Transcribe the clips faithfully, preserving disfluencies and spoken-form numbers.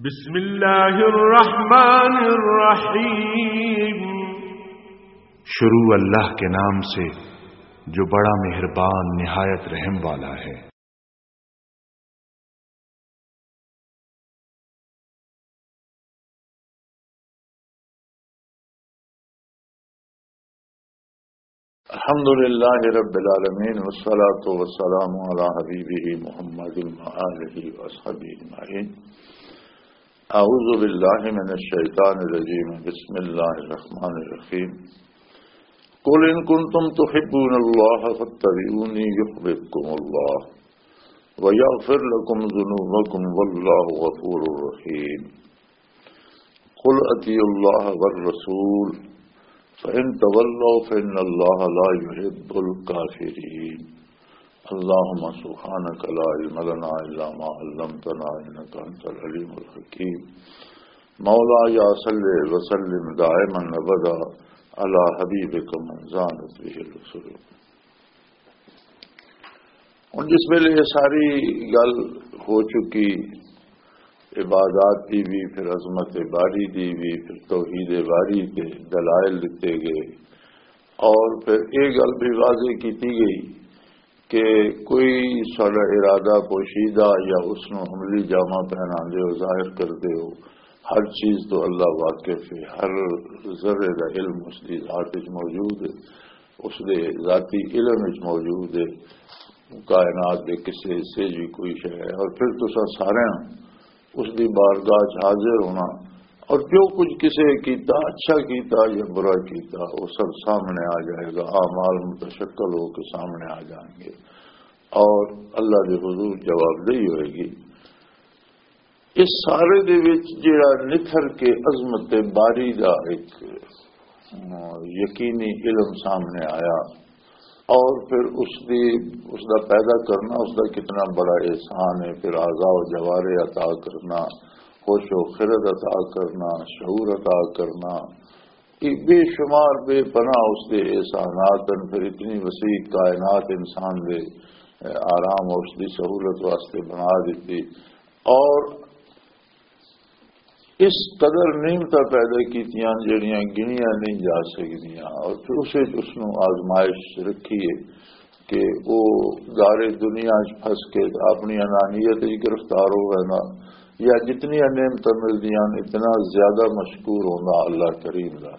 بسم اللہ الرحمن الرحیم۔ شروع اللہ کے نام سے جو بڑا مہربان نہایت رحم والا ہے۔ الحمد لله رب العالمين، والصلاة والسلام على حبيبه محمد وآله وأصحابه أجمعين. أعوذ بالله من الشيطان الرجيم. بسم الله الرحمن الرحيم. قل إن كنتم تحبون الله فاتبعوني يحببكم الله ويغفر لكم ذنوبكم والله غفور رحيم. قل أطيعوا الله والرسول فإن تولوا فإن الله لا يحب الكافرين. اللهم سبحانك لا علم لنا إلا ما علمتنا إنك أنت العليم الحكيم. مولاي صل وسلم دائما أبدا على حبيبك من زانت به الرسل. ہن جس ویلے یہ ساری گل ہو چکی، عبادات دی بھی، پھر عظمت باری دی بھی، پھر توحید باری تے دلائل دتے گئے، اور پھر یہ گل بھی واضح کیتی گئی کہ کوئی ساڈا ارادہ پوشیدہ یا اس نو عملی جامہ پہناندے ہو، ظاہر کردے ہو، ہر چیز تو اللہ واقف ہے، ہر ذرے دا علم اس دی ذات وچ موجود ہے، اس دے ذاتی علم وچ موجود ہے، کائنات دے کسے حصے جی کوئی شے ہے، اور پھر تساں سارے اس دی بارگاہ چ حاضر ہونا، اور جو کچھ کسے کیتا، اچھا کیتا یا برا کیتا، وہ سب سامنے آ جائے گا، اعمال متشکل ہو کے سامنے آ جائیں گے، اور اللہ دے حضور جوابدہی ہوئے گی۔ اس سارے دے وچ جڑا نکھر کے عظمت باری دا ایک، آ، یقینی علم سامنے آیا، اور پھر اس دی، اس دا پیدا کرنا، اس دا کتنا بڑا احسان ہے، پھر اعضاء و جوارے عطا کرنا، ہوش و خرد عطا کرنا، شعور عطا کرنا، یہ بے شمار بے پناہ اس دے احسانات ہیں۔ پھر اتنی وسیع کائنات انسان دے، اے، آرام اور اس دی سہولت واسطے بنا دیتی، اور اس قدر نعمتاں پیدا کیتیاں جڑیاں گنیاں نہیں جا سکدیاں، اور پھر اسے اس نوں آزمائش رکھی ہے کہ وہ گارے دنیا چ پھنس کے اپنی انانیت وچ گرفتار ہو گئے نا، یا جتنی نعمتاں ملدیاں اتنا زیادہ مشکور ہوندا اللہ کریم دا۔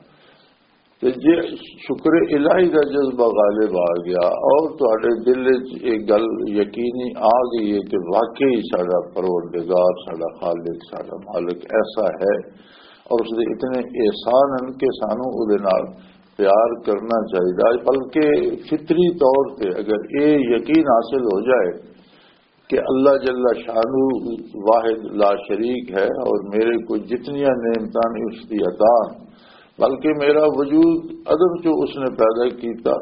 تے جے شکر الہی دا جذبہ غالب آ گیا اور تہاڈے دل وچ یہ گل یقینی آ گئی ہے کہ واقعی ساڈا پروردگار، ساڈا خالق، ساڈا مالک ایسا ہے اور اس دے اتنے احسان ہیں کہ سانو او دے نال پیار کرنا چاہیدا ہے، بلکہ فطری طور تے اگر یہ یقین حاصل ہو جائے کہ اللہ جل شانہ واحد لا شریک ہے اور میرے کو جتنی نعمتاں نے اس دی عطا ہیں، بلکہ میرا وجود عدم چوں اس نے پیدا کیتا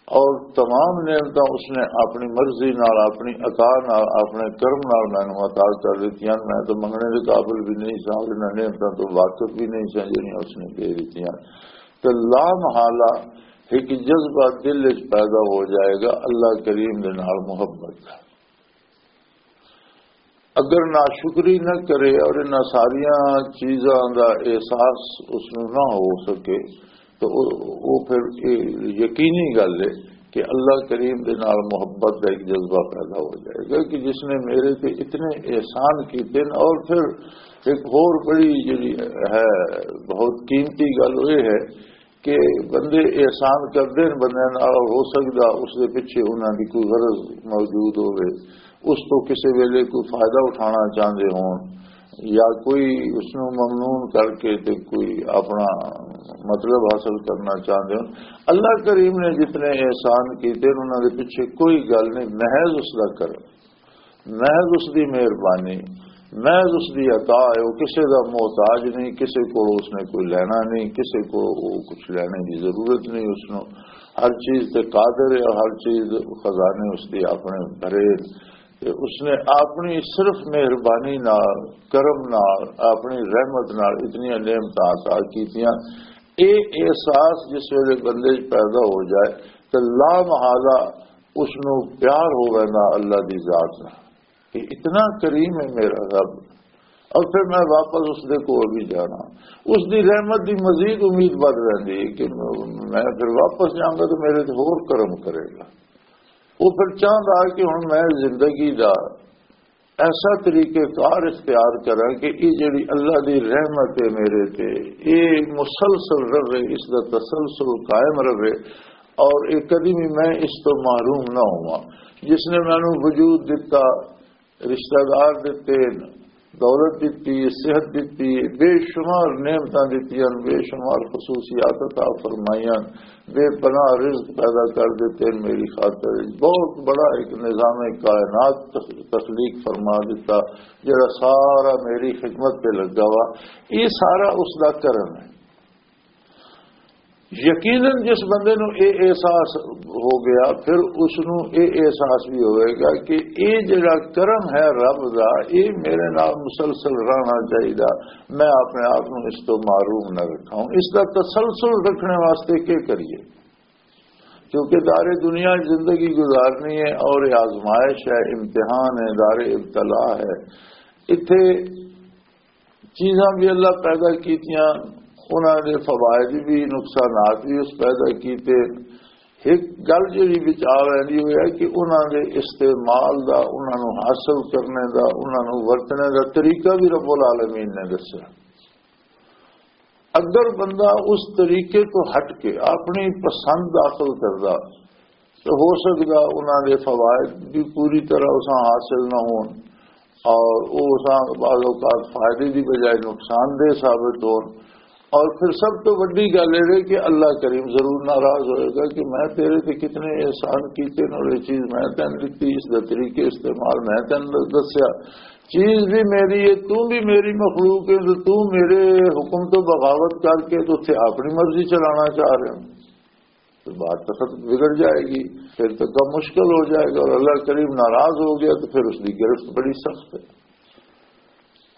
اور تمام نعمتاں اس نے اپنی مرضی نال، اپنی عطا نال، اپنے کرم نال مینوں عطا کر دتیاں۔ میں تو منگنے دے قابل بھی نہیں سا، انہاں نعمتاں تو واقف بھی نہیں سا جڑیاں اس نے دے دتیاں۔ تے لا محالہ ایک جذبہ دل وچ پیدا ہو جائے گا اللہ کریم دے نال محبت دا۔ اگر ناشکری نہ کرے اور انہاں ساریاں چیزاں دا احساس اس نوں نہ ہو سکے، تو او، او پھر یہ یقینی گل ہے کہ اللہ کریم دے نال محبت دا ایک جذبہ پیدا ہو جائے گا کہ جس نے میرے تے اتنے احسان کیتے ہیں۔ اور پھر ایک ہور بڑی جڑی ہے، بہت قیمتی گل وہ یہ ہے کہ بندے احسان کردے نے بندے نال، اور ہو سکدا اس دے پیچھے انہاں دی کوئی غرض موجود ہوے، اس تو کسے ویلے کوئی فائدہ اٹھانا چاہندے ہون، یا کوئی اس نوں ممنون کر کے تے کوئی اپنا مطلب حاصل کرنا چاہندے ہون۔ اللہ کریم نے جتنے احسان کیتے نے، انہاں دے پیچھے کوئی گل نہیں، محض اس دا کرم۔ محض اس دی مہربانی، محض اس دی عطا ہے۔ وہ کسے دا محتاج نہیں، کسے کو اس نے کوئی لینا نہیں، کسے کو وہ کچھ لینے دی ضرورت نہیں۔ اس نوں ہر چیز تے قادر ہے اور ہر چیز خزانے اس دی اپنے بھرے۔ تے اس نے اپنی صرف مہربانی نال، کرم نال، اپنی رحمت نال اتنی نعمتاں عطا کیتیاں۔ اے احساس جس ویلے بندے وچ پیدا ہو جائے تے لا محالہ اس نوں پیار ہو ویندا اللہ دی ذات نال کہ اتنا کریم ہے میرا رب، اور پھر میں واپس اس دے کول بھی جانا۔ اس دی رحمت دی مزید امید بڑھ رہندی ہے کہ میں پھر واپس جاؤں گا تو میرے تے ہور کرم کرے گا۔ وہ پھر چاہندا کہ ہن میں زندگی دا ایسا طریقہ کار اختیار کراں کہ یہ جڑی اللہ دی رحمت ہے میرے تے، یہ مسلسل رہے، اس دا تسلسل قائم رہے، اور یہ کدی بھی میں اس تو محروم نہ ہواں۔ جس نے مینوں وجود دتا، رشتہ دار دتے، دولت دتی، صحت دتی، بے شمار نعمتاں دتیاں، بے شمار خصوصیات عطا فرمائیاں، بے پناہ رزق پیدا کر دتے میری خاطر۔ بہت بڑا ایک نظام کائنات تخ-، تخلیق فرما دیتا، جڑا سارا میری خدمت پہ لگا ہوا۔ یہ سارا اس دا کرم ہے۔ یقیناً جس بندے نوں اے احساس ہو گیا، پھر اس نوں اے احساس بھی ہوئے گا کہ اے جڑا کرم ہے رب دا، اے میرے نال مسلسل رہنا چاہیے۔ میں اپنے آپ نوں اس تو محروم نہ رکھاں۔ اس دا تسلسل رکھنے واسطے کی کریے؟ کیونکہ دار دنیا زندگی گزارنی ہے اور یہ آزمائش ہے، امتحان ہے، دار ابتلا ہے۔ اتھے چیزاں بھی اللہ پیدا کیتیاں، انہاں دے فوائد بھی، نقصانات بھی اس پیدا کیتے۔ ایک گل جڑی وچ آ رہندی ہوئی ہے کہ انہاں دے استعمال دا، انہاں نوں حاصل کرنے دا، انہاں نوں ورتنے دا طریقہ بھی رب العالمین نے دسیا۔ اگر بندہ اس طریقے تو ہٹ کے اپنی پسند داخل کردا، تو ہو سکدا انہاں دے فوائد بھی پوری طرح اساں حاصل نہ ہون، اور وہ اساں بعض اوقات فائدے دی بجائے نقصان دہ ثابت ہون۔ اور پھر سب تو وڈی گل یہ ہے کہ اللہ کریم ضرور ناراض ہوئے گا کہ میں تیرے تے کتنے احسان کیتے نے، اور یہ چیز میں تینوں دتی، اس دا طریقے استعمال میں تینوں دسیا، چیز بھی میری ہے، تو بھی میری مخلوق ہے، تو تو میرے حکم تو بغاوت کر کے تو اتھے اپنی مرضی چلانا چاہ رہے ہو۔ تو بات تو ختم بگڑ جائے گی، پھر تو کم مشکل ہو جائے گا، اور اللہ کریم ناراض ہو گیا تو پھر اس کی گرفت بڑی سخت ہے۔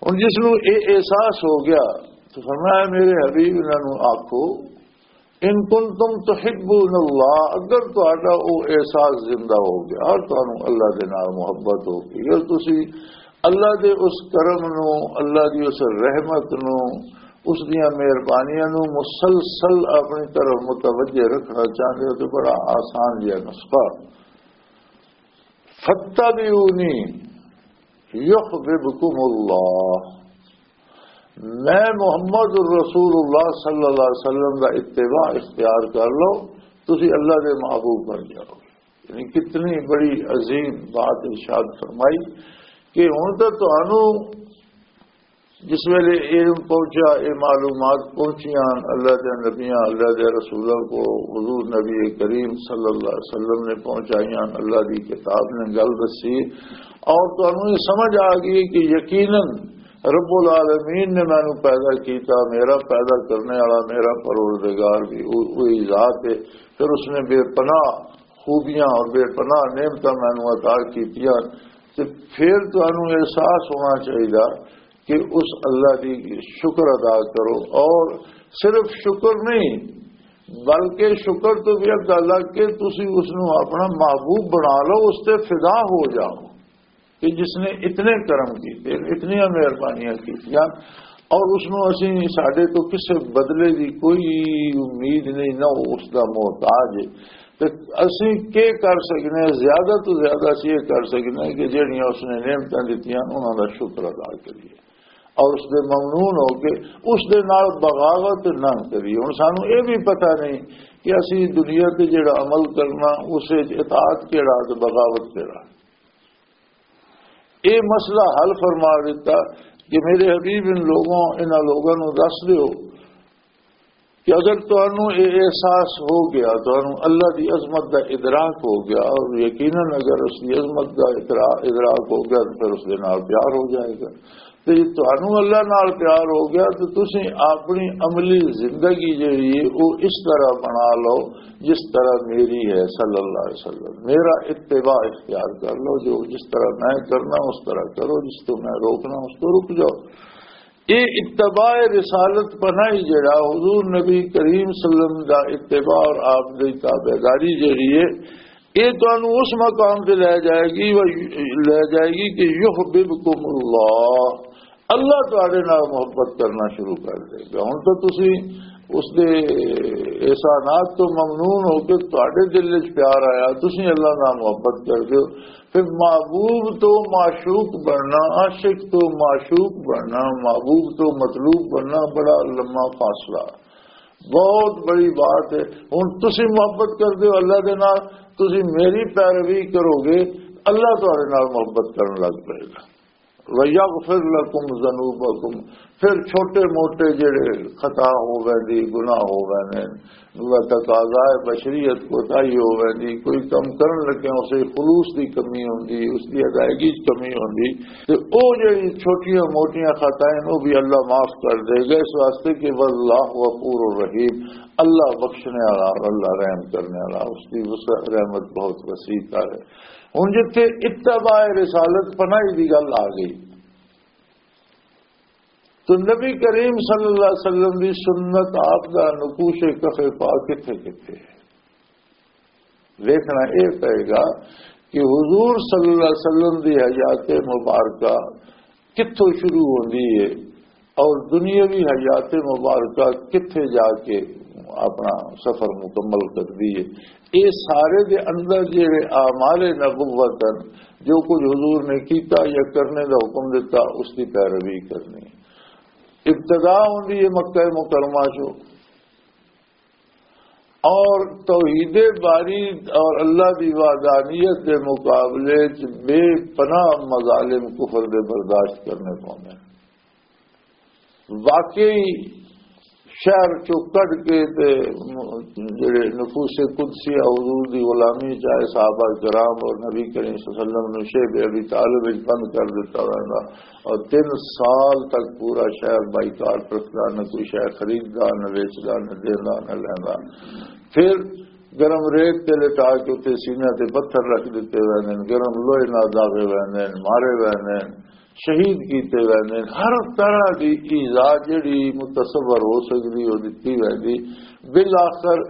ہن جس نوں اے احساس ہو گیا تو فرمایا، میرے حبیب، انہاں نوں آکھو، ان کنتم تحبون اللہ، اگر تہاڈا او احساس زندہ ہو گیا اور تانوں اللہ دے نال محبت ہو گئی، اگر تسی اللہ دے اس کرم نوں، اللہ دی اس رحمت نوں، اس دیاں مہربانیاں نوں مسلسل اپنی طرف متوجہ رکھنا چاہندے ہو، تو بڑا آسان جہا نسخہ، فَاتَّبِعُونِي يُحْبِبْكُمُ اللَّهُ۔ میں محمد الرسول اللہ صلی اللہ علیہ وسلم دا اتباع اختیار کر لو، تسی اللہ دے محبوب بن جاؤ۔ یعنی کتنی بڑی عظیم بات ارشاد فرمائی کہ ہن تے تانوں جس ویلے علم پہنچا، یہ معلومات پہنچیاں اللہ دے نبیاں، اللہ دے رسولوں کو، حضور نبی کریم صلی اللہ علیہ وسلم نے پہنچائیاں، اللہ دی کتاب نے گل دسی، اور تانوں یہ سمجھ آ گئی کہ یقیناً رب العالمین نے مینوں پیدا کیتا، میرا پیدا کرنے والا میرا پروردگار بھی وہ-، وہی ذات ہے۔ پھر اس نے بے پناہ خوبیاں اور بے پناہ نعمتاں مینوں عطا کیتیاں، تے پھر تانوں احساس ہونا چاہیے کہ اس اللہ دی شکر ادا کرو، اور صرف شکر نہیں، بلکہ شکر تو بھی اگا لگ کے تسی اس نوں اپنا محبوب بنا لو، اس تے فدا ہو جاؤ کہ جس نے اتنے کرم کیتے، اتنی مہربانیاں کیتیاں، اور اس نوں اسی، ساڈے تو کسے بدلے دی کوئی امید نہیں، نہ وہ اس دا محتاج ہے۔ تے اسی کی کر سکنے ہیں؟ زیادہ تو زیادہ اسی یہ کر سکنے ہیں کہ جہڑیاں اس نے نعمتاں دتیاں، انہاں دا شکر ادا کریے اور اس دے ممنون ہو کے اس دے نال بغاوت نہ کریے۔ ہن سانوں یہ بھی پتہ نہیں کہ اسی دنیا تے جڑا عمل کرنا، اس وچ اطاعت کیڑا تے بغاوت کیڑا۔ یہ مسئلہ حل فرما دیتا کہ میرے حبیب، ان لوگوں، انہاں لوگوں نوں دس دیو کہ اگر تانوں یہ احساس ہو گیا، تانوں اللہ دی عظمت دا ادراک ہو گیا، اور یقیناً اگر اس دی عظمت دا ادرا-، ادراک ہو گیا تو پھر اس دے نال پیار ہو جائے گا۔ تے جے تانوں اللہ نال پیار ہو گیا تو تسی اپنی عملی زندگی جڑی ہے وہ اس طرح بنا لو جس طرح میری ہے صلی اللہ علیہ وسلم۔ میرا اتباع اختیار کر لو، جو جس طرح میں کرنا اس طرح کرو، جس تو میں روکنا اس کو رک جاؤ۔ یہ اتباع رسالت پناہی جڑا حضور نبی کریم صلی اللہ علیہ وسلم دا اتباع اور آپ دی تابعداری جڑی ہے، یہ تانوں اس مقام تے لے جائے گی، وہ لے جائے گی کہ یحببکم اللہ، اللہ تہاڈے نال محبت کرنا شروع کر دے گا۔ ہن تاں تسی اس دے احسانات تو ممنون ہو کے تہاڈے دل وچ پیار آیا، تسی اللہ نال محبت کر دیو۔ پھر محبوب تو معشوق بننا، عاشق تو معشوق بننا، محبوب تو مطلوب بننا بڑا لمبا فاصلہ، بہت بڑی بات ہے۔ ہن تسی محبت کر دیو اللہ دے نال، تسی میری پیروی کرو گے، اللہ تہاڈے نال محبت کرن لگ پئے گا۔ وَيَغْفِرْ لَكُمْ ذُنُوبَكُمْ۔ پھر چھوٹے موٹے جڑے خطا ہو ویندی، گناہ ہو ویندے، و تقاضائے بشریت کوتاہی ہو ویندی، کوئی کم کرن لگے اسے خلوص دی کمی ہوندی، اس دی ادائیگی چ کمی ہوندی، تے او جڑی چھوٹیاں موٹیاں خطائیں نو بھی اللہ معاف کر دے گا، اس واسطے کہ واللہ غفور الرحیم، اللہ بخشنے والا اور اللہ رحم کرنے والا، اس دی وسع، رحمت بہت وسیع ہے۔ ہن جتھے اتباع رسالت پناہی دی گل آ گئی، تو نبی کریم صلی اللہ علیہ وسلم دی سنت، آپ دا نقوش کف پا کتھے کتھے ہے؟ ویکھنا اے پئے گا کہ حضور صلی اللہ علیہ وسلم دی حیات مبارکہ کتھوں شروع ہوندی ہے اور دنیاوی حیات مبارکہ کتھے جا کے اپنا سفر مکمل کردی ہے۔ اے سارے دے اندر جڑے اعمال نبوت ہیں، جو کچھ حضور نے کیتا یا کرنے دا حکم دیتا، اس دی پیروی کرنی۔ ابتدا ہوندی ہے مکہ مکرمہ چوں، اور توحید باری اور اللہ دی وحدانیت دے مقابلے چ بے پناہ مظالم کفر دے برداشت کرنے پوندے نے۔ واقعی شہر چوں کڈ کے تے جڑے نفوس قدسی حضور دی غلامی چاہے صحابہ کرام اور نبی کریم صلی اللہ علیہ وسلم نو شیب ابی طالب وچ بند کر دتا ویندا اور تین سال تک پورا شہر بائیکاٹ رکھدا، نہ کوئی شے خریددا، نہ ویچدا، نہ دیندا، نہ لیندا۔ پھر گرم ریت تے لٹا کے اتنے سینے تے پتھر رکھ دتے ویندے نے، گرم لوہے نال داغے ویندے نے، مارے ویندے نے، شہید کیتے ویندے نے۔ ہر طرح دی ایذا جڑی متصور ہو سکدی، او دتی ویندی۔ بالآخر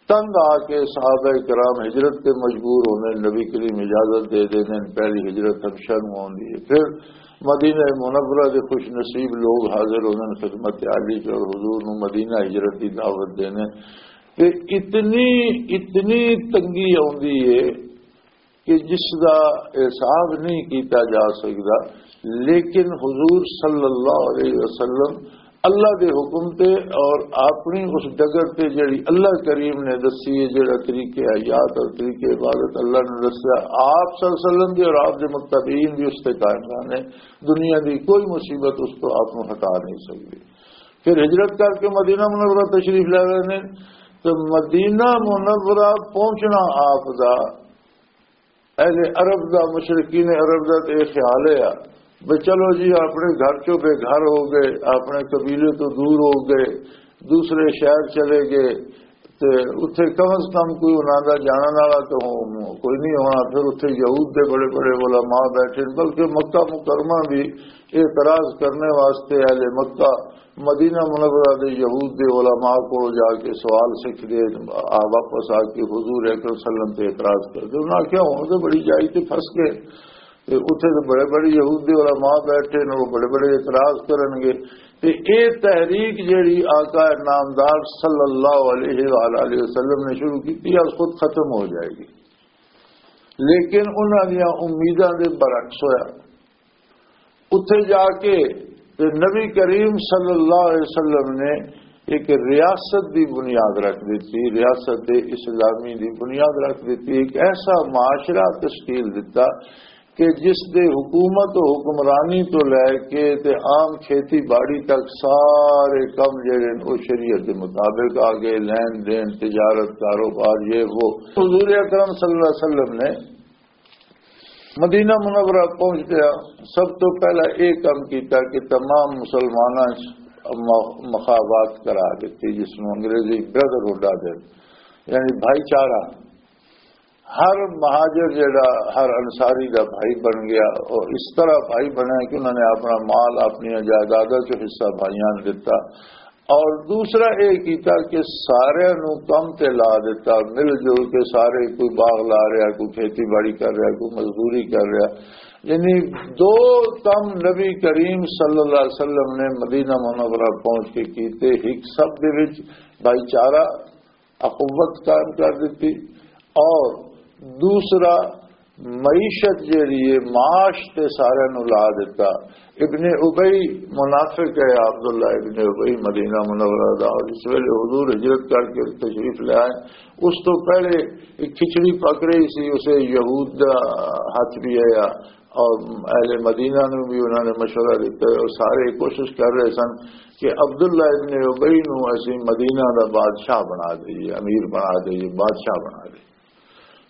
تنگ آ کے صحابہ کرام ہجرت تے مجبور ہوندے نے، نبی کریم اجازت دے دیندے نے، پہلی ہجرت حبشہ نوں ہوندی ہے۔ پھر مدینہ منورہ دے خوش نصیب لوگ حاضر ہوندے نے خدمت عالی چ اور حضور نوں مدینہ ہجرت دی دعوت دیندے نے۔ تے اتنی، اتنی تنگی آندی ہے کہ جس دا احساس نہیں کیتا جا سکدا، لیکن حضور صلی اللہ علیہ وسلم اللہ دے حکم تے اور اپنی اس ڈگر تے جڑی اللہ کریم نے دسی ہے، جڑا طریقے حیات اور طریقے عبادت اللہ نے دسیا، آپ صلی اللہ علیہ وسلم دی اور آپ دے متبعین بھی اس تے قائم رہنے۔ دنیا دی کوئی مصیبت اس کو آپ نوں ہٹا نہیں سکدی۔ پھر ہجرت کر کے مدینہ منورہ تشریف لے رہے نے، تو مدینہ منورہ پہنچنا آپ دا اہل عرب دا، مشرکین عرب دا تے یہ خیال ہے آ، بھئی چلو جی، اپنے گھر چوں بے گھر ہو گئے، اپنے قبیلے تو دور ہو گئے، دوسرے شہر چلے گئے، تے اتھے کم از کم کوئی انہاں دا جانن والا تو ہو-، کوئی نہیں ہونا۔ پھر اتھے یہود دے بڑے بڑے علماء بیٹھے، بلکہ مکہ مکرمہ بھی اعتراض کرنے واسطے اہل مکہ مدینہ منورہ دے یہود دے علماء کو جا کے سوال سکھ دے، آ، واپس آ کے حضور اکرم صلی اللہ علیہ وسلم تے اعتراض کر دے۔ انہاں کیا ہون تے بڑی جائی تے پھنس گئے۔ تے اتھے تے بڑے بڑے یہود دے علماء بیٹھے نے، وہ بڑے بڑے اعتراض کرن گے۔ تے اے تحریک جیڑی آقا نامدار صلی اللہ علیہ وآلہ وسلم نے شروع کی تھی، آج خود ختم ہو جائے گی۔ لیکن انہاں دیاں امیداں دے برعکس ہویا۔ اتھے جا کے تے نبی کریم صلی اللہ علیہ وسلم نے ایک ریاست دی بنیاد رکھ دیتی، ریاست اسلامی دی بنیاد رکھ دیتی، ایک ایسا معاشرہ تشکیل دیتا کہ جس دے حکومت و حکمرانی تو لے کے تے عام کھیتی باڑی تک سارے کم جڑے نے، او شریعت دے مطابق آ گئے، لین دین، تجارت، کاروبار، یہ وہ۔ حضور اکرم صلی اللہ علیہ وسلم نے مدینہ منورہ پہنچدیا سب تو پہلا یہ کام کیتا کہ تمام مسلماناں چ م-، مخابات کرا دیتی، جس نوں انگریزی بردرہڈ آدھے، یعنی بھائی چارہ۔ ہر مہاجر جڑا ہر انصاری دا بھائی بن گیا، اور اس طرح بھائی بنیا کہ انہوں نے اپنا مال، اپنی جائیداداں چ حصہ بھائیاں نوں دتا۔ اور دوسرا یہ کیتا کہ سارے نوں کم تے لا دیتا، مل جل کے سارے، کوئی باغ لا رہا، کوئی کھیتی باڑی کر رہا، کوئی مزدوری کر رہا۔ یعنی دو کم نبی کریم صلی اللہ علیہ وسلم نے مدینہ منورہ پہنچ کے کیتے۔ ایک سب دے وچ بھائی چارہ، اخوت قائم کر دیتی، اور دوسرا معیشت جیڑی ہے، معاش تے سارے نو لا دیتا۔ ابن ابی منافق ہے، عبداللہ ابن ابی مدینہ منورہ دا، اور اس ویلے حضور ہجرت کر کے تشریف لے آئے۔ اس تو پہلے ایک کھچڑی پک رہی سی، اسے یہود دا ہاتھ بھی آیا، اور اہل مدینہ نو بھی انہوں نے مشورہ دیتا ہے، اور سارے کوشش کر رہے سن کہ عبداللہ ابن ابی نو اسی مدینہ دا بادشاہ بنا دئیے، امیر بنا دئیے، بادشاہ بنا دئیے۔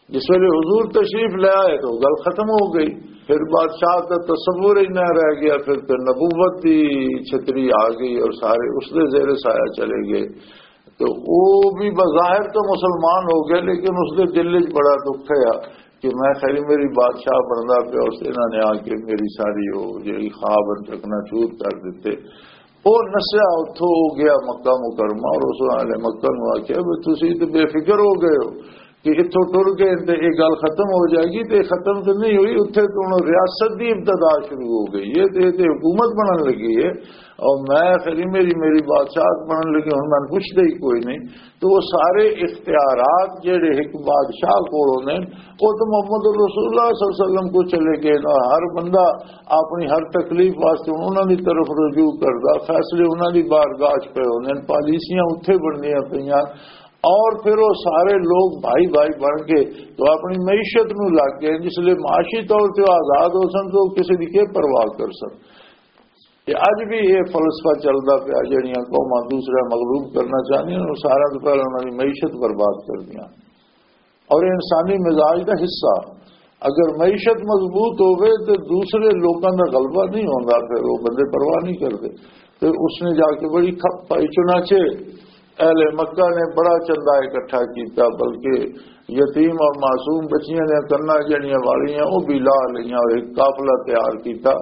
جس ویلے حضور تشریف لے آئے تو گل ختم ہو گئی۔ پھر بادشاہ کا تصور ہی نہ رہ گیا، پھر تو نبوت دی چھتری آ گئی اور سارے اس دے زیر سایہ چلے گئے۔ تو وہ بھی بظاہر تو مسلمان ہو گیا، لیکن اس دے دل وچ بڑا دکھ ہے کہ میں خیری میری بادشاہ بندا پیا، اس انہاں نے آ کے میری ساری وہ جڑی خواب چکنا چور کر دیتے۔ وہ نسیا اتھوں ہو گیا مکہ مکرمہ، اور اس والے مکہ نو آخیا بھی تسی تو بے فکر ہو گئے ہو کہ اتھوں ٹر گئے تے یہ گل ختم ہو جائے گی، تے ختم تو نہیں ہوئی۔ اتھے تو ہن ریاست دی ابتدا شروع ہو گئی ہے، تے تے حکومت بنن لگی ہے، اور میں خیری میری میری بادشاہت بنن لگی، ہن میں پوچھدے ہی کوئی نہیں۔ تو وہ سارے اختیارات جڑے ایک بادشاہ کول ہوندے نے، وہ تو محمد رسول اللہ صلی اللہ علیہ وسلم کو چلے گئے نا۔ ہر بندہ اپنی ہر تکلیف واسطے انہاں دی طرف رجوع کردا، فیصلے انہاں دی بارگاہ چ پے ہوندے نے، پالیسیاں اتھے بندیاں پیاں۔ اور پھر وہ سارے لوگ بھائی بھائی بن کے تو اپنی معیشت نو لگ گئے، جس لئے معاشی طور تے وہ آزاد ہو سن تو کسی دی کی پرواہ کر سن۔ تے اج بھی یہ فلسفہ چلدا پیا، جڑیاں قوماں دوسرے مغلوب کرنا چاہندیاں، وہ سارا تو پہلے انہاں دی معیشت برباد کردیاں۔ اور یہ انسانی مزاج دا حصہ، اگر معیشت مضبوط ہوے تو دوسرے لوکاں دا غلبہ نہیں ہوندا، پھر وہ بندے پرواہ نہیں کردے۔ تے اس نے جا کے بڑی کھپ پائی۔ چنانچہ اہل مکہ نے بڑا چندہ اکٹھا کیتا، بلکہ یتیم اور معصوم بچیاں دیاں کناں جڑیاں والیاں، وہ بھی لا لئیاں اور ایک قافلہ تیار کیتا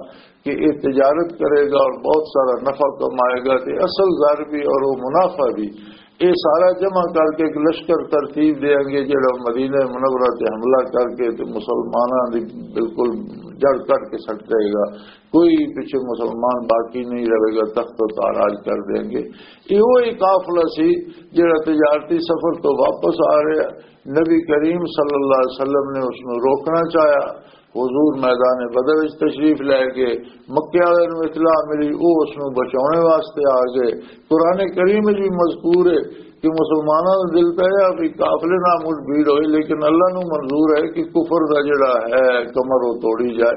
کہ یہ تجارت کرے گا اور بہت سارا نفع کمائے گا، تے اصل زر بھی اور وہ منافع بھی۔ یہ سارا جمع کر کے ایک لشکر ترتیب دیں گے، جڑا مدینہ منورہ تے حملہ کر کے تے مسلماناں دی بالکل جڑ کٹ کے سٹ دے گا، کوئی پیچھے مسلمان باقی نہیں رہے گا، تخت و تاراج کر دیں گے۔ یہ وہی قافلہ سی جڑا تجارتی سفر تو واپس آ رہا۔ نبی کریم صلی اللہ علیہ وسلم نے اس نو روکنا چاہیا۔ حضور میدان بدر وچ تشریف لے گئے، مکے والے نو اطلاع ملی، وہ اس نو بچاؤنے واسطے آ گئے۔ قرآن کریم وچ بھی مذکور ہے کہ مسلمانوں نے دل پہ یہ بھی قافلے نہ مٹ بھیڑ ہوئی، لیکن اللہ نو منظور ہے کہ کفر دا جڑا ہے کمر وہ توڑی جائے۔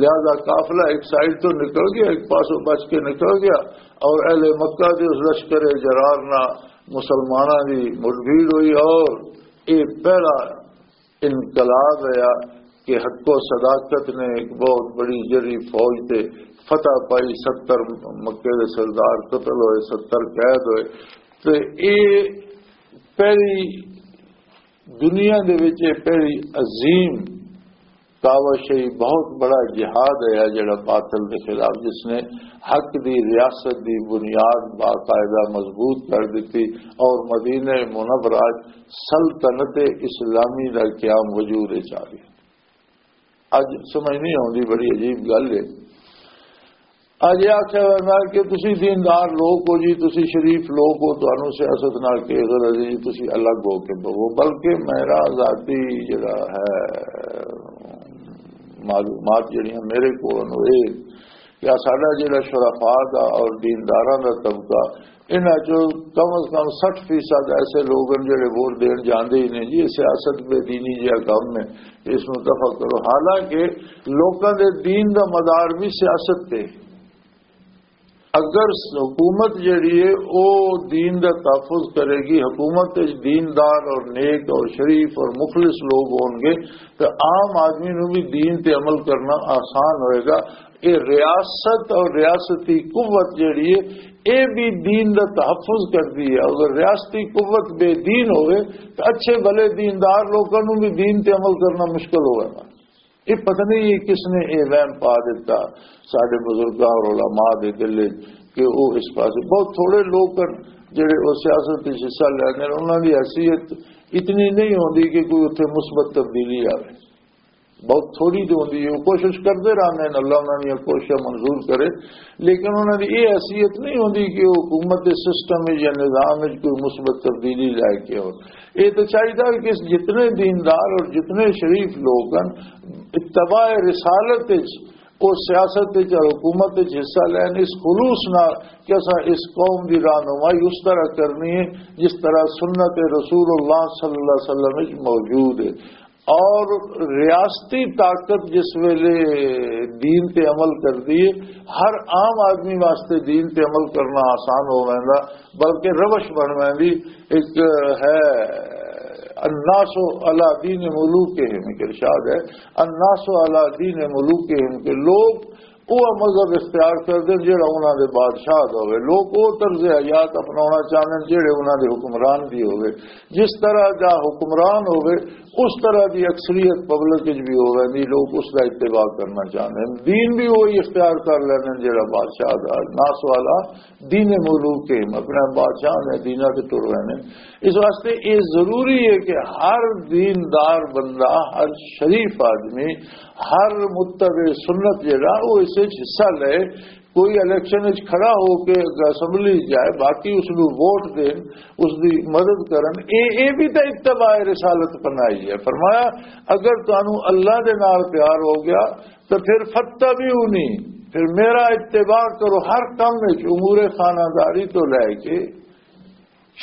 لہذا قافلہ ایک سائیڈ تو نکل گیا، ایک پاسوں بچ کے نکل گیا، اور اہل مکہ دے اس لشکر جرار نہ مسلمانوں دی مٹ بھیڑ ہوئی، اور یہ پہلا انقلاب ہویا کہ حق و صداقت نے ایک بہت بڑی جری فوج تے فتح پائی، ستر مکے دے سردار قتل ہوئے، ستر قید ہوئے۔ تے اے پہلی دنیا دے وچ اے پہلی عظیم کاوش ہے، بہت بڑا جہاد ہے جڑا باطل دے خلاف، جس نے حق دی ریاست دی بنیاد باقاعدہ مضبوط کر دیتی اور مدینہ منورہ سلطنت اسلامی دا قیام وجود وچ آ گیا۔ اج سمجھ نہیں آتی، بڑی عجیب گل ہے۔ اج یہ آخیا جاتا ہے کہ تسی دیندار لوگ ہو جی، تسی شریف لوگ ہو، تانوں سیاست نال کی غرض ہے جی، تسی الگ ہو کے بہو۔ بلکہ میرا ذاتی جڑا ہے معلومات جڑیاں میرے کول ہوئے کہ ساڈا جڑا شرفا دا اور دینداراں دا طبقہ، انہاں چوں کم از کم سٹھ فیصد ایسے لوگ ہیں جڑے ووٹ دین جاندے ہی نہیں جی، سیاست بے دینی جہا کم ہے، اس نوں دفع کرو۔ حالانکہ لوکاں دے دین دا مدار بھی سیاست تے۔ اگر حکومت جڑی ہے، او دین دا تحفظ کرے گی، حکومت وچ دیندار اور نیک اور شریف اور مخلص لوگ ہون گے، تو عام آدمی نوں بھی دین تے عمل کرنا آسان ہوئے گا۔ اے ریاست اور ریاستی قوت جڑی ہے، اے بھی دین دا تحفظ کردی ہے۔ اگر ریاستی قوت بے دین ہوئے تو اچھے بھلے دیندار لوکاں نوں بھی دین تے عمل کرنا مشکل ہوئے گا۔ یہ پتہ نہیں یہ کس نے یہ وہم پا دیتا سارے بزرگاں اور علماء دے دل وچ کہ وہ اس پاسے، بہت تھوڑے لوگ ہیں جڑے وہ سیاست وچ حصہ لیندے ہیں، انہاں دی حیثیت اتنی نہیں ہوندی کہ کوئی اتھے مثبت تبدیلی آوے۔ بہت تھوڑی جو ہوندی ہے، وہ کوشش کردے رہندے نے، اللہ انہاں دیاں کوششاں منظور کرے، لیکن انہاں دی یہ حیثیت نہیں ہوندی کہ وہ حکومت دے سسٹم وچ یا نظام وچ کوئی مثبت تبدیلی لے کے آؤ۔ یہ تو چاہیدا کہ اس جتنے دیندار اور جتنے شریف لوگ ہیں، اتباع رسالت وچ، وہ سیاست وچ اور حکومت وچ حصہ لین، اس خلوص نال کہ اساں اس قوم دی رہنمائی اس طرح کرنی ہے جس طرح سنت رسول اللہ صلی اللہ علیہ وسلم وچ موجود ہے۔ اور ریاستی طاقت جس ویلے دین تے عمل کردی ہے، ہر عام آدمی واسطے دین تے عمل کرنا آسان ہو ویندا، بلکہ روش بن ویندی۔ ایک ہے، الناس علی دین ملوکہم، ایک ارشاد ہے، الناس علی دین ملوکہم، کہ لوگ وہ مذہب اختیار کر دین جڑا انہاں دے بادشاہ دا ہوئے۔ لوگ وہ طرز حیات اپناونا چاہندے جڑے انہاں دے حکمران دی ہوئے۔ جس طرح دا حکمران ہوئے، اس طرح دی اکثریت پبلک وچ بھی ہوئے، نہیں، لوگ اس دا اتباع کرنا چاہندے ہیں۔ دین بھی وہی اختیار کر لینے جڑا بادشاہ دا، ناس والا دین ملوک کے، اپنے بادشاہ نے دینا تے ٹر رہے ہیں۔ اس واسطے یہ ضروری ہے کہ ہر دیندار بندہ، ہر شریف آدمی، ہر متبع سنت جڑا، وہ اس وچ حصہ لے۔ کوئی الیکشن وچ کھڑا ہو کے اسمبلی جائے، باقی اس نوں ووٹ دین، اس دی مدد کرن، اے، اے بھی تے اتباع رسالت بنائی ہے۔ فرمایا، اگر تانوں اللہ دے نال پیار ہو گیا تو پھر فتبعونی، پھر میرا اتباع کرو ہر کم وچ، امور خانہ داری تو لے کے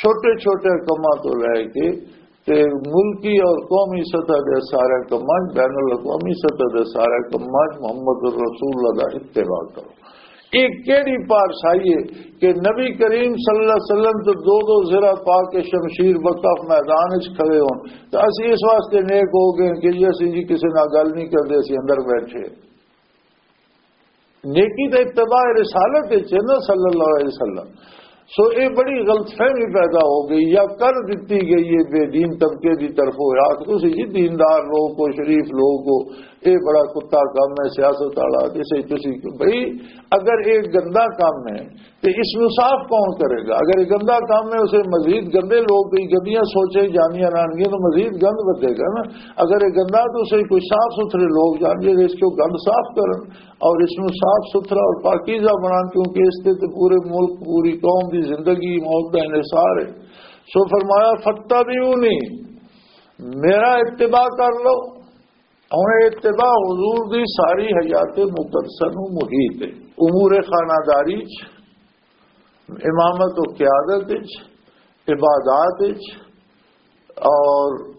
چھوٹے چھوٹے کماں تو لے کے تے ملکی اور قومی سطح دے سارے کماں، بین الاقوامی سطح دے سارے کماں محمد رسول اللہ دا اتباع کرو۔ یہ کیڑی پارسائی ہے کہ نبی کریم صلی اللہ علیہ وسلم تو دو دو زرہ پا کے شمشیر وقف میدان وچ کھڑے ہون، تو اسی اس واسطے نیک ہو گئے کہ جی اسی جی کسی نال گل نہیں کردے، اسی اندر بیٹھے۔ نیکی تے اتباع رسالت وچ ہے نا، صلی اللہ علیہ وسلم۔ سو یہ بڑی غلط فہمی پیدا ہو گئی یا کر دتی گئی ہے بے دین طبقے دی طرفوں، یار تسی جی دیندار لوگ ہو، شریف لوگ ہو، یہ بڑا کتا کم ہے سیاست والا، جسے تسی بھئی، اگر یہ گندا کام ہے تو اس نو صاف کون کرے گا؟ اگر یہ گندا کام ہے، اسے مزید گندے لوگ، یہ گندیاں سوچیں جانیاں رہنگیاں تو مزید گند ودے گا نا۔ اگر یہ گندا تو اسے کوئی صاف ستھرے لوگ جان جے اس کو گند صاف کرن اور اس نو صاف ستھرا اور پاکیزہ بنان، کیونکہ اس تے تے پورے ملک، پوری قوم دی زندگی موت دا انحصار ہے۔ سو فرمایا، "فتبعونی"، میرا اتباع کر لو۔ ہن اتباع حضور دی ساری حیات مقدسہ نو محیط ہے۔ امور خانہ داری چ، امامت و قیادت چ، عبادات چ، اور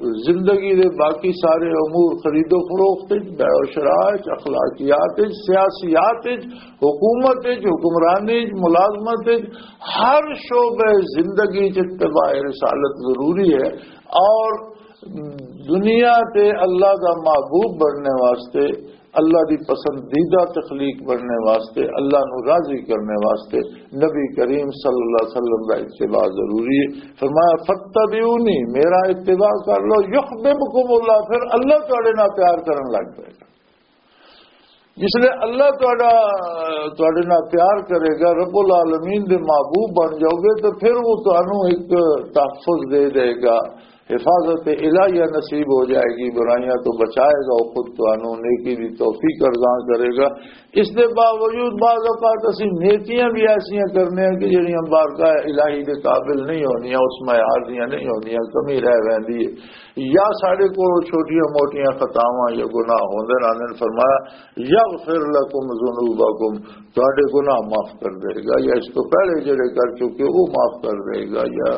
زندگی دے باقی سارے امور، خرید و فروخت وچ، بیع و شراء وچ، اخلاقیات وچ، سیاسیات وچ، حکومت وچ، حکمرانی وچ، ملازمت وچ، ہر شعبہ زندگی وچ اتباع رسالت ضروری ہے۔ اور دنیا تے اللہ دا محبوب بننے واسطے، اللہ دی پسندیدہ تخلیق بننے واسطے، اللہ نو راضی کرنے واسطے نبی کریم صلی اللہ علیہ وسلم دا اتباع ضروری ہے۔ فرمایا، "فتبعونی"، میرا اتباع کر لو، "یحببکم اللہ"، پھر اللہ تواڈے نال پیار کرن لگ پائے گا۔ جس لئے اللہ تواڈا، تواڈے نال پیار کرے گا، رب العالمین دے محبوب بن جاؤ گے، تو پھر وہ تانوں ایک تحفظ دے دے گا، حفاظت الہیہ نصیب ہو جائے گی، برائیاں تو بچائے گا، وہ خود تانوں نیکی دی توفیق ارزان کرے گا۔ اس دے باوجود بعض اوقات اسی نیکیاں بھی ایسیاں کرنے ہیں کہ جڑیاں بارگاہ الہی دے قابل نہیں ہوندیاں، اس معیار دیاں نہیں ہوندیاں، کمی رہ ویندی ہے۔ یا ساڈے کولوں چھوٹیاں موٹیاں خطاواں یا گناہ ہوندے رہندے نے۔ فرمایا، "یغفر لکم ذنوبکم"، تہاڈے گناہ معاف کر دے گا، یا اس تو پہلے جڑے کر چکے وہ معاف کر دے گا، یا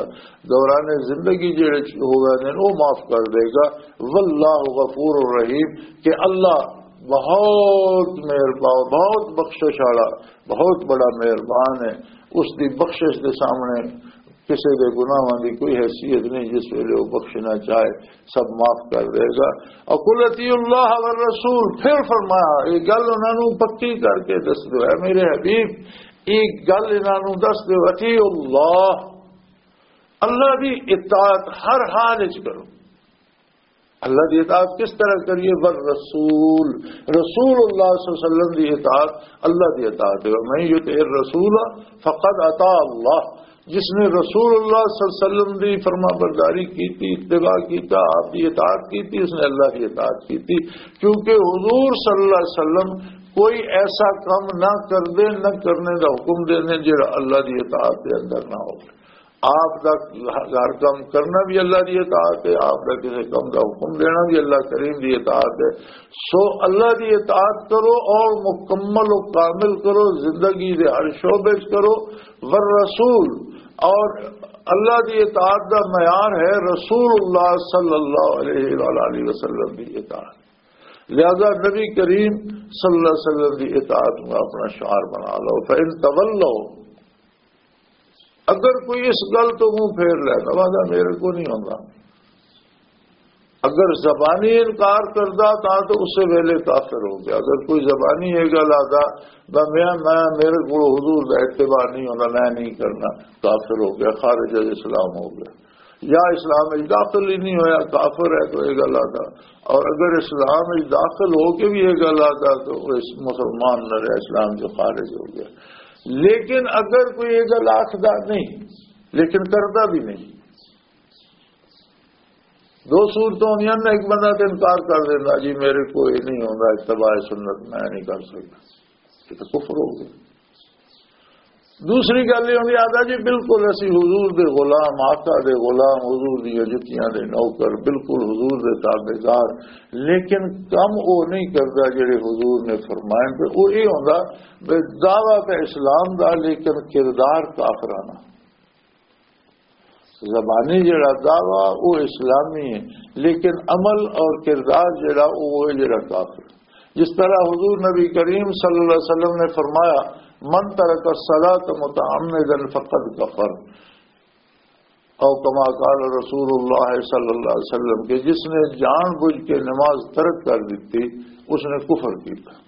دوران زندگی جڑے چ-، ہو گئے نے وہ معاف کر دے گا۔ واللہ غفور رحیم، کہ اللہ بہت مہربان، بہت بخشش والا، بہت بڑا مہربان ہے۔ اس دی بخشش دے سامنے کسے دے گناہاں دی کوئی حیثیت نہیں، جس ویلے وہ بخشنا چاہے سب معاف کر دے گا۔ اور "قل اطیعوا اللہ والرسول"، پھر فرمایا، یہ گل انہاں نوں پکی کر کے دس دو، اے میرے حبیب، یہ گل انہاں نوں دس دو، "اطیعوا اللہ"، اللہ دی اطاعت ہر حال وچ کرو۔ اللہ دی اطاعت کس طرح کریے؟ "والرسول"، رسول اللہ صلی اللہ علیہ وسلم دی اطاعت اللہ دی اطاعت ہے۔ "ومن یطع الرسول فقد اطاع اللہ"، جس نے رسول اللہ صلی اللہ علیہ وسلم دی فرما برداری کی تھی، اتباع کیتا، آپ دی اطاعت کی تھی، اس نے اللہ دی اطاعت کی تھی۔ کیونکہ حضور صلی اللہ علیہ وسلم کوئی ایسا کام نہ کر دے، نہ کرنے دا حکم دے دے جڑا اللہ دی اطاعت دے اندر نہ ہو۔ آپ دا ہر کام کرنا بھی اللہ دی اطاعت ہے، آپ دا کسی کام دا حکم دینا بھی اللہ کریم دی اطاعت ہے۔ سو اللہ دی اطاعت کرو اور مکمل و کامل کرو، زندگی دے ہر شعبے چ کرو۔ والرسول، اور اللہ دی اطاعت دا معیار ہے رسول اللہ صلی اللہ علیہ وآلہ وسلم دی اطاعت۔ لہذا نبی کریم صلی اللہ علیہ وسلم دی اطاعت نو اپنا شعار بنا لو۔ فَإِن تَوَلَّوْا، اگر کوئی اس گل تو منہ پھیر لے، نمازا میرے کو نہیں ہوندا، اگر زبانی انکار کردا تاں تو اسے ویلے کافر ہو گیا۔ اگر کوئی زبانی یہ گل آدا، میں، میں، میرے کو حضور دا اتباع نہیں ہوندا، میں نہیں کرنا، کافر ہو گیا، خارج الاسلام ہو گیا، یا اسلام وچ داخل ہی نہیں ہویا، کافر ہے تو یہ گل آدا۔ اور اگر اسلام وچ داخل ہو کے بھی یہ گل آدا تو وہ اس مسلمان نہ رہا، اسلام جو خارج ہو گیا۔ لیکن اگر کوئی یہ گل آخدا نہیں، لیکن کردا بھی نہیں، دو صورتوں ہوندیاں نے، ایک بندہ تے انکار کر دیندا، "جی میرے کو یہ نہیں ہوندا، اتباع سنت میں نہیں کر سکدا"، یہ تو کفر ہو گیا۔ دوسری گل یہ ہوندی، آدھا، "جی بالکل اسی حضور دے غلام، آقا دے غلام، حضور دی جتیاں دے نوکر، بالکل حضور دے تابعدار، لیکن کم وہ نہیں کردا جڑے حضور نے فرمائے"۔ تے وہ یہ ہوندا بے دعویٰ تے اسلام دا، لیکن کردار کافرانہ۔ زبانی جڑا دعویٰ وہ اسلامی ہے، لیکن عمل اور کردار جڑا وہ ہے جڑا کافر۔ جس طرح حضور نبی کریم صلی اللہ علیہ وسلم نے فرمایا، "من ترک الصلاۃ متعمدا فقد کفر"، او کما قال رسول اللہ صلی اللہ علیہ وسلم، کہ جس نے جان بوجھ کے نماز ترک کر دیتی، اس نے کفر کیا۔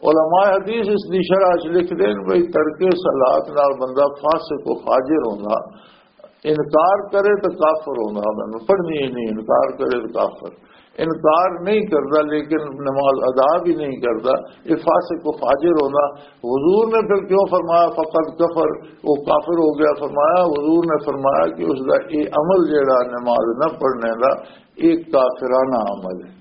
علماء حدیث اس دی شرح چ لکھ دین بھئی، ترک صلات نال بندہ فاسق و فاجر ہوندا، انکار کرے تو کافر ہوندا، میں پڑھنی ہی نہیں، انکار کرے تو کافر، انکار نہیں کردا لیکن نماز ادا بھی نہیں کردا، یہ فاسق و فاجر ہوندا۔ حضور نے پھر کیوں فرمایا فقد کفر، وہ کافر ہو گیا؟ فرمایا، حضور نے فرمایا کہ اس دا یہ عمل جڑا نماز نہ پڑھنے دا، یہ کافرانہ عمل ہے۔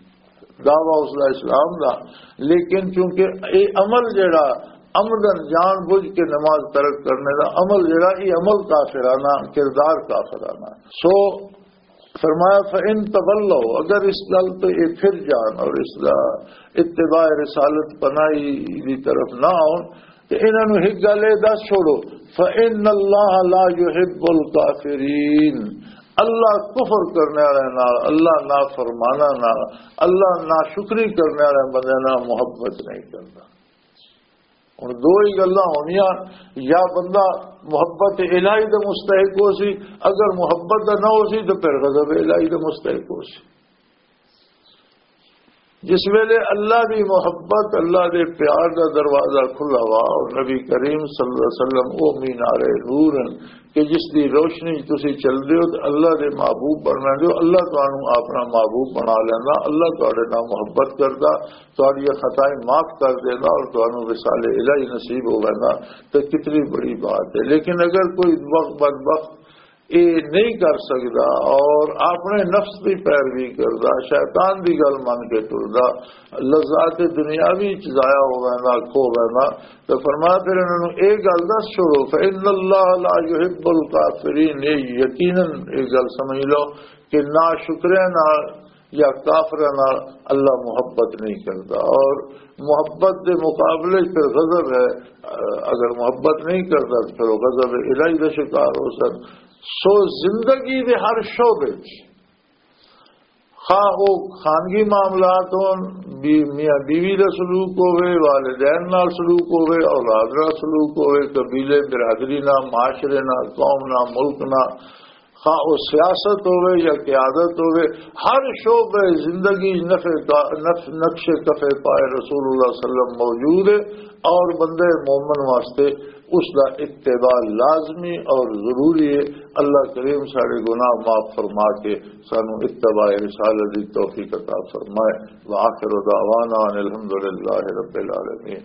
دعویٰ اس دا اسلام دا، لیکن چونکہ اے عمل جڑا عمدن جان بوجھ کے نماز ترک کرنے دا عمل جڑا، اے عمل کافرانہ، کردار کافرانہ۔ سو فرمایا، "فَإِن تَوَلَّوْا"، اگر اس گل تو یہ پھر جان اور اس دا اتباع رسالت پناہی دی طرف نہ آؤ، تے انہاں نوں ایک گل اے دس چھوڑو، "فَإِنَّ اللَّهَ لَا يُحِبُّ الْكَافِرِينَ"، اللہ کفر کرنے والے نال، اللہ نافرمانہ نال، اللہ ناشکری کرنے والے بندے نال محبت نہیں کرتا۔ ہن دو ہی گلاں ہونیاں، یا بندہ محبت الہی دے مستحق ہو سی، اگر محبت دا نہ ہو سی تو پھر غضب الہی دے مستحق ہو سی۔ جس ویلے اللہ دی محبت، اللہ دے پیار دا دروازہ کھلا ہوا اور نبی کریم صلی اللہ علیہ وسلم او مینار نور ہیں کہ جس دی روشنی تسی چل دے ہو تے اللہ دے محبوب بننا دے ہو، اللہ تانوں اپنا محبوب بنا لینا، اللہ تہاڈے نال محبت کردا، تہاڈی خطائیں معاف کر دینا اور تانوں وصال الہی نصیب ہو ویندا، تے کتنی بڑی بات ہے۔ لیکن اگر کوئی بخ-، بدبخت یہ نہیں کر سکدا اور اپنے نفس کی پیروی کردا، شیطان دی گل من کے ٹردا، لذات دنیاوی چ ضائع ہو ویندا، کھو ویندا، تو فرمایا پھر انہاں نوں اے گل دس چھوڑو، "فإن اللہ لا يحب الكافرين"، یہ یقیناً یہ گل سمجھ لو کہ ناشکرے نال یا کافراں نال اللہ محبت نہیں کردا، اور محبت دے مقابلے پھر غضب ہے۔ اگر محبت نہیں کردا تو پھر وہ غضب الہی دا شکار ہو سکدا۔ سو زندگی دے ہر شعبے وچ، خواہ او خانگی معاملات ہون، بی-، میاں بیوی دا سلوک ہوے، والدین نال سلوک ہوے، اولاد نال سلوک ہوے، قبیلے برادری نال، معاشرے نال، قوم نال، ملک نال، خواہ او سیاست ہوے یا قیادت ہوے، ہر شعبہ زندگی نفع کا-، نف-، نقش کفے پائے رسول اللہ صلی اللہ علیہ وسلم موجود ہے، اور بندے مومن واسطے اس دا اتباع لازمی اور ضروری ہے۔ اللہ کریم سارے گناہ معاف فرما کے سانو اتباع رسالت دی توفیق عطا فرمائے۔ وآخر دعوانا ان الحمدللہ رب العالمین۔